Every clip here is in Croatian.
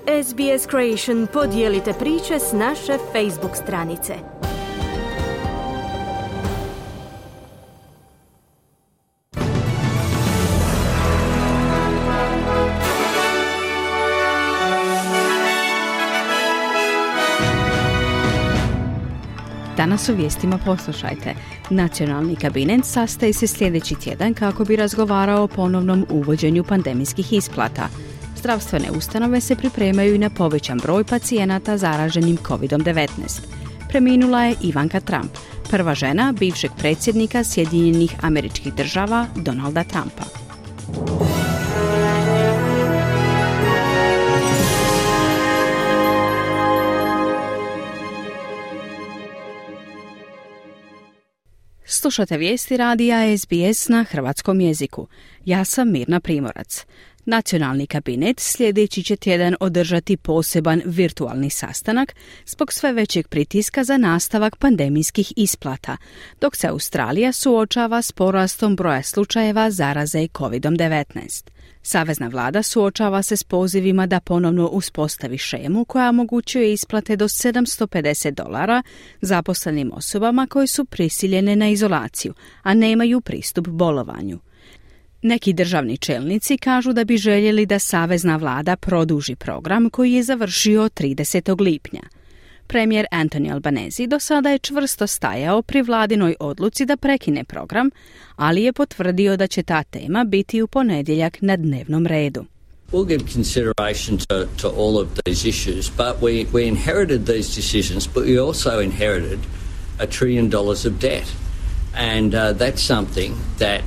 SBS Creation podijelite priče s naše Facebook stranice. Danas u vijestima poslušajte. Nacionalni kabinet sastaje se sljedeći tjedan kako bi razgovarao o ponovnom uvođenju pandemijskih isplata. Zdravstvene ustanove se pripremaju i na povećan broj pacijenata zaraženim COVID-19. Preminula je Ivanka Trump, prva žena bivšeg predsjednika Sjedinjenih Američkih Država Donalda Trumpa. Slušate vijesti radija SBS na hrvatskom jeziku. Ja sam Mirna Primorac. Nacionalni kabinet sljedeći će tjedan održati poseban virtualni sastanak zbog sve većeg pritiska za nastavak pandemijskih isplata, dok se Australija suočava s porastom broja slučajeva zaraze COVID-19. Savezna vlada suočava se s pozivima da ponovno uspostavi šemu koja omogućuje isplate do $750 zaposlenim osobama koje su prisiljene na izolaciju, a nemaju pristup bolovanju. Neki državni čelnici kažu da bi željeli da savezna vlada produži program koji je završio 30. lipnja. Premijer Anthony Albanese do sada je čvrsto stajao pri vladinoj odluci da prekine program, ali je potvrdio da će ta tema biti u ponedjeljak na dnevnom redu. We'll give consideration to all of these issues, but we inherited these decisions, but we also inherited $1 trillion of debt. And that's something that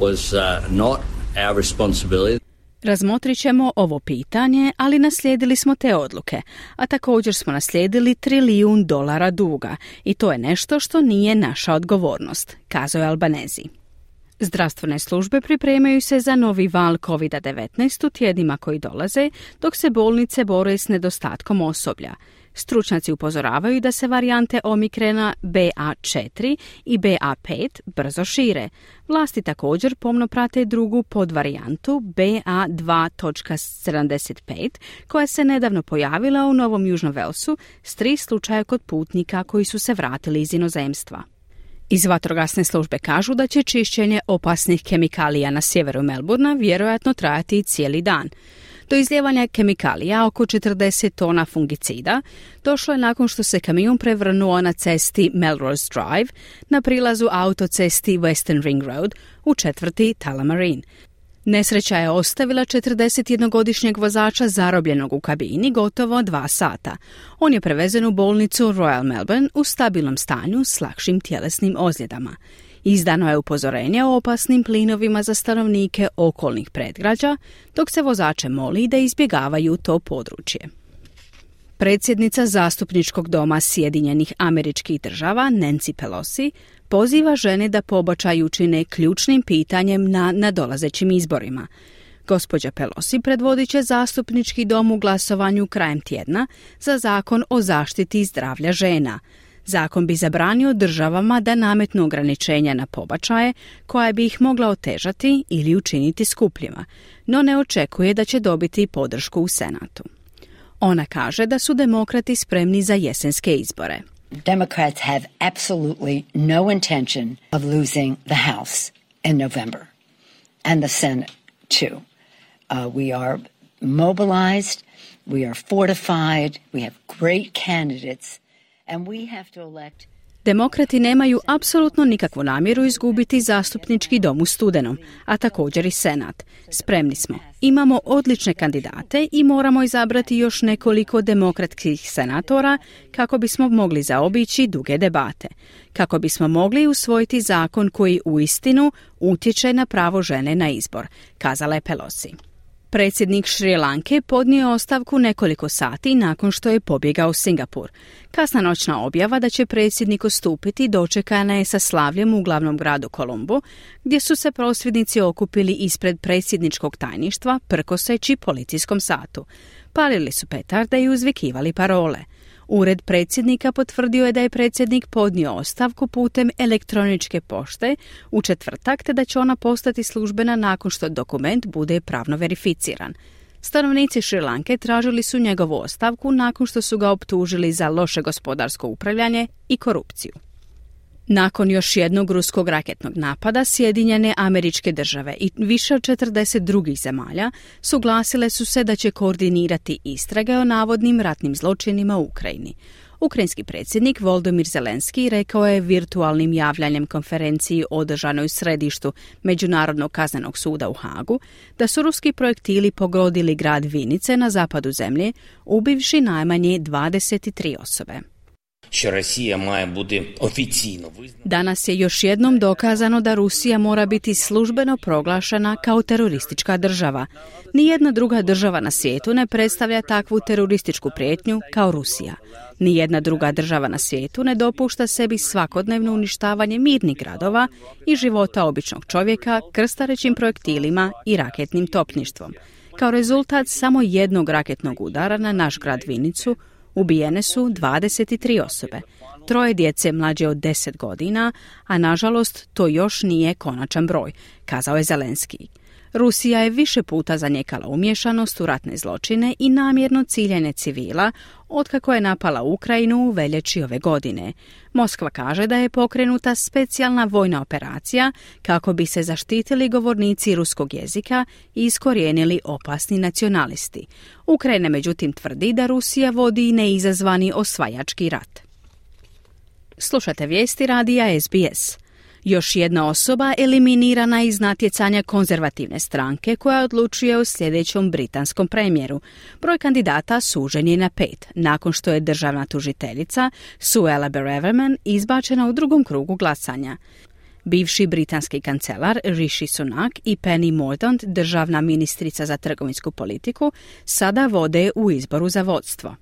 was not our responsibility. Razmotrit ćemo ovo pitanje, ali naslijedili smo te odluke, a također smo naslijedili $1 triljon duga i to je nešto što nije naša odgovornost, kazao je Albanese. Zdravstvene službe pripremaju se za novi val COVID-19 u tjednima koji dolaze, dok se bolnice bore s nedostatkom osoblja. Stručnjaci upozoravaju da se varijante Omikrona BA4 i BA5 brzo šire. Vlasti također pomno prate drugu podvarijantu BA2.75 koja se nedavno pojavila u Novom Južnom Velsu s 3 slučaja kod putnika koji su se vratili iz inozemstva. Iz vatrogasne službe kažu da će čišćenje opasnih kemikalija na sjeveru Melbourna vjerojatno trajati cijeli dan. Do izlijevanja kemikalija, oko 40 tona fungicida, došlo je nakon što se kamion prevrnuo na cesti Melrose Drive na prilazu autocesti Western Ring Road u četvrti Tullamarine. Nesreća je ostavila 41-godišnjeg vozača zarobljenog u kabini gotovo 2 sata. On je prevezen u bolnicu Royal Melbourne u stabilnom stanju s lakšim tjelesnim ozljedama. Izdano je upozorenje o opasnim plinovima za stanovnike okolnih predgrađa, dok se vozače moli da izbjegavaju to područje. Predsjednica Zastupničkog doma Sjedinjenih Američkih Država Nancy Pelosi poziva žene da pobačaj učine ključnim pitanjem na nadolazećim izborima. Gospođa Pelosi predvodit će Zastupnički dom u glasovanju krajem tjedna za zakon o zaštiti zdravlja žena. Zakon bi zabranio državama da nametnu ograničenja na pobačaje koja bi ih mogla otežati ili učiniti skupljima, no ne očekuje da će dobiti podršku u Senatu. Ona kaže da su demokrati spremni za jesenske izbore. Democrats have absolutely no intention of losing the House in November and the Senate too. We are mobilized, we are fortified, we have great candidates. Demokrati nemaju apsolutno nikakvu namjeru izgubiti Zastupnički dom u studenom, a također i Senat. Spremni smo. Imamo odlične kandidate i moramo izabrati još nekoliko demokratskih senatora kako bismo mogli zaobići duge debate. Kako bismo mogli usvojiti zakon koji uistinu utječe na pravo žene na izbor, kazala je Pelosi. Predsjednik Šri Lanke podnio ostavku nekoliko sati nakon što je pobjegao u Singapur. Kasna noćna objava da će predsjednik odstupiti dočekana je sa slavljem u glavnom gradu Kolombo, gdje su se prosvjednici okupili ispred predsjedničkog tajništva prkoseći policijskom satu. Palili su petarde i uzvikivali parole. Ured predsjednika potvrdio je da je predsjednik podnio ostavku putem elektroničke pošte u četvrtak, te da će ona postati službena nakon što dokument bude pravno verificiran. Stanovnici Šrilanke tražili su njegovu ostavku nakon što su ga optužili za loše gospodarsko upravljanje i korupciju. Nakon još jednog ruskog raketnog napada, Sjedinjene Američke Države i više od 40 drugih zemalja suglasile su se da će koordinirati istrage o navodnim ratnim zločinima u Ukrajini. Ukrajinski predsjednik Volodymyr Zelenski rekao je virtualnim javljanjem konferenciji održanoj u središtu Međunarodnog kaznenog suda u Hagu da su ruski projektili pogodili grad Vinice na zapadu zemlje, ubivši najmanje 23 osobe. Danas je još jednom dokazano da Rusija mora biti službeno proglašena kao teroristička država. Nijedna druga država na svijetu ne predstavlja takvu terorističku prijetnju kao Rusija. Nijedna druga država na svijetu ne dopušta sebi svakodnevno uništavanje mirnih gradova i života običnog čovjeka krstarećim projektilima i raketnim topništvom. Kao rezultat samo jednog raketnog udara na naš grad Vinicu ubijene su 23 osobe, 3 djece mlađe od 10 godina, a nažalost to još nije konačan broj, kazao je Zelenski. Rusija je više puta zanijekala umješanost u ratne zločine i namjerno ciljanje civila otkako je napala Ukrajinu u veljači ove godine. Moskva kaže da je pokrenuta specijalna vojna operacija kako bi se zaštitili govornici ruskog jezika i iskorijenili opasni nacionalisti. Ukrajina međutim tvrdi da Rusija vodi neizazvani osvajački rat. Slušate vijesti radija SBS. Još jedna osoba eliminirana iz natjecanja konzervativne stranke koja odlučuje o sljedećem britanskom premijeru. Broj kandidata sužen je na 5, nakon što je državna tužiteljica Suella Braverman izbačena u drugom krugu glasanja. Bivši britanski kancelar Rishi Sunak i Penny Mordaunt, državna ministrica za trgovinsku politiku, sada vode u izboru za vodstvo.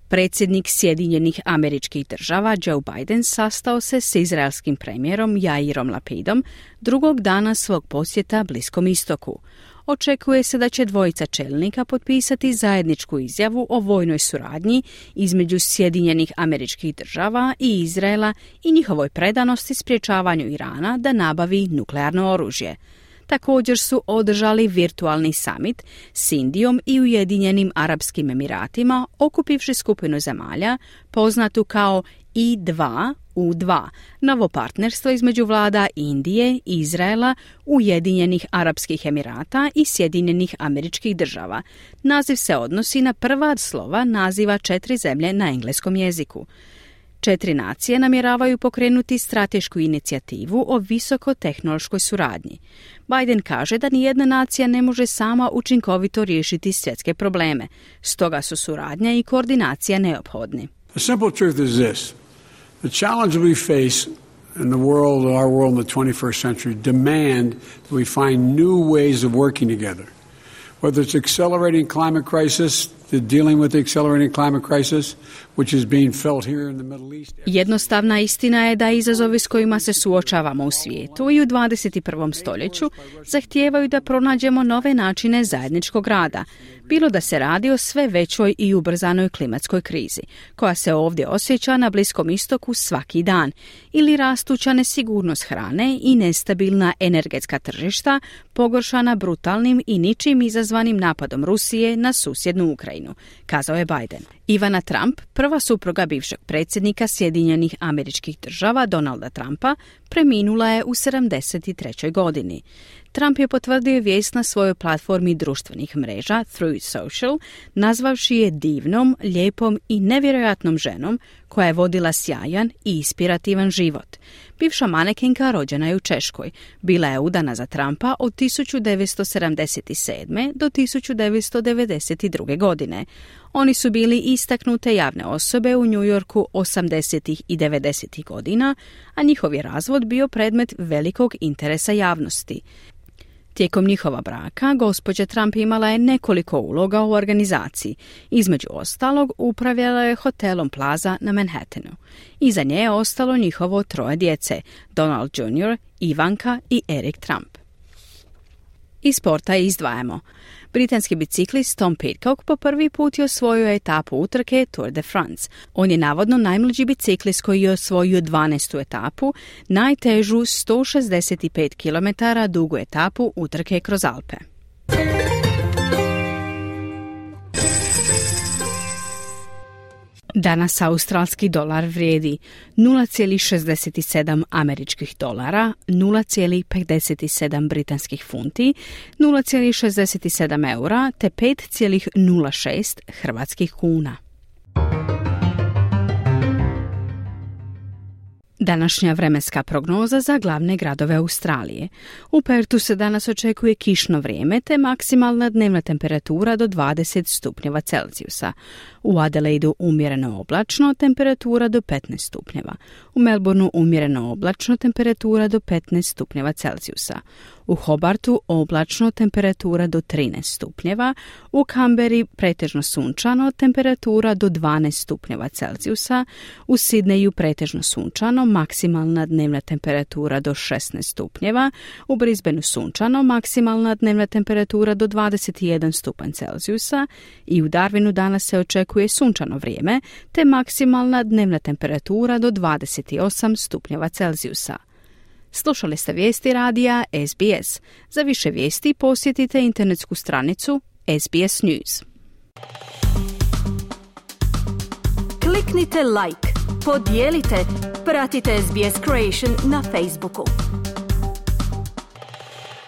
Predsjednik Sjedinjenih Američkih Država Joe Biden sastao se s izraelskim premijerom Jairom Lapidom drugog dana svog posjeta Bliskom istoku. Očekuje se da će dvojica čelnika potpisati zajedničku izjavu o vojnoj suradnji između Sjedinjenih Američkih Država i Izraela i njihovoj predanosti sprječavanju Irana da nabavi nuklearno oružje. Također su održali virtualni summit s Indijom i Ujedinjenim Arapskim Emiratima, okupivši skupinu zemalja poznatu kao I2U2, novo partnerstvo između vlada Indije, Izraela, Ujedinjenih Arapskih Emirata i Sjedinjenih Američkih Država. Naziv se odnosi na prva slova naziva 4 zemlje na engleskom jeziku. 4 nacije namjeravaju pokrenuti stratešku inicijativu o visokotehnološkoj suradnji. Biden kaže da nijedna nacija ne može sama učinkovito riješiti svjetske probleme, stoga su suradnja i koordinacija neophodni. The simple truth is this. The challenge we face in the world, our world in the 21st century, demand that we find new ways of working together. Whether it's accelerating climate crisis, dealing with the accelerating climate crisis, which is being felt here in the Middle East. Jednostavna istina je da izazovi s kojima se suočavamo u svijetu i u 21. stoljeću zahtijevaju da pronađemo nove načine zajedničkog rada, bilo da se radi o sve većoj i ubrzanoj klimatskoj krizi, koja se ovdje osjeća na Bliskom istoku svaki dan, ili rastuća nesigurnost hrane i nestabilna energetska tržišta, pogoršana brutalnim i ničim izazvanim napadom Rusije na susjednu Ukrajinu, kazao je Biden. Ivana Trump, prva supruga bivšeg predsjednika Sjedinjenih Američkih Država Donalda Trumpa, preminula je u 73. godini. Trump je potvrdio vijest na svojoj platformi društvenih mreža Truth Social, nazvavši je divnom, lijepom i nevjerojatnom ženom koja je vodila sjajan i inspirativan život. Bivša manekenka rođena je u Češkoj. Bila je udana za Trumpa od 1977. do 1992. godine. Oni su bili istaknute javne osobe u New Yorku 80. i 90. godina, a njihov je razvod bio predmet velikog interesa javnosti. Tijekom njihova braka, gospođa Trump imala je nekoliko uloga u organizaciji. Između ostalog, upravljala je hotelom Plaza na Manhattanu. Iza nje je ostalo njihovo 3 djece, Donald Jr., Ivanka i Eric Trump. Iz sporta izdvajamo. Britanski biciklist Tom Pidcock po prvi put je osvojio etapu utrke Tour de France. On je navodno najmlađi biciklist koji je osvojio 12. etapu, najtežu 165 km dugu etapu utrke kroz Alpe. Danas australski dolar vrijedi 0,67 američkih dolara, 0,57 britanskih funti, 0,67 eura te 5,06 hrvatskih kuna. Današnja vremenska prognoza za glavne gradove Australije. U Pertu se danas očekuje kišno vrijeme te maksimalna dnevna temperatura do 20 stupnjeva Celzijusa. U Adelaidu umjereno oblačno, temperatura do 15 stupnjeva. U Melbourneu umjereno oblačno, temperatura do 15 stupnjeva Celzijusa. U Hobartu oblačno, temperatura do 13 stupnjeva. U Canberri pretežno sunčano, temperatura do 12 stupnjeva Celzijusa. U Sidneju pretežno sunčano, maksimalna dnevna temperatura do 16 stupnjeva. U Brisbaneu sunčano, maksimalna dnevna temperatura do 21 stupanj Celzijusa. I u Darwinu danas se očekuje sunčano vrijeme, te maksimalna dnevna temperatura do 28 stupnjeva Celzijusa. Slušali ste vijesti radija SBS. Za više vijesti posjetite internetsku stranicu SBS News. Kliknite like, podijelite, pratite SBS Creation na Facebooku.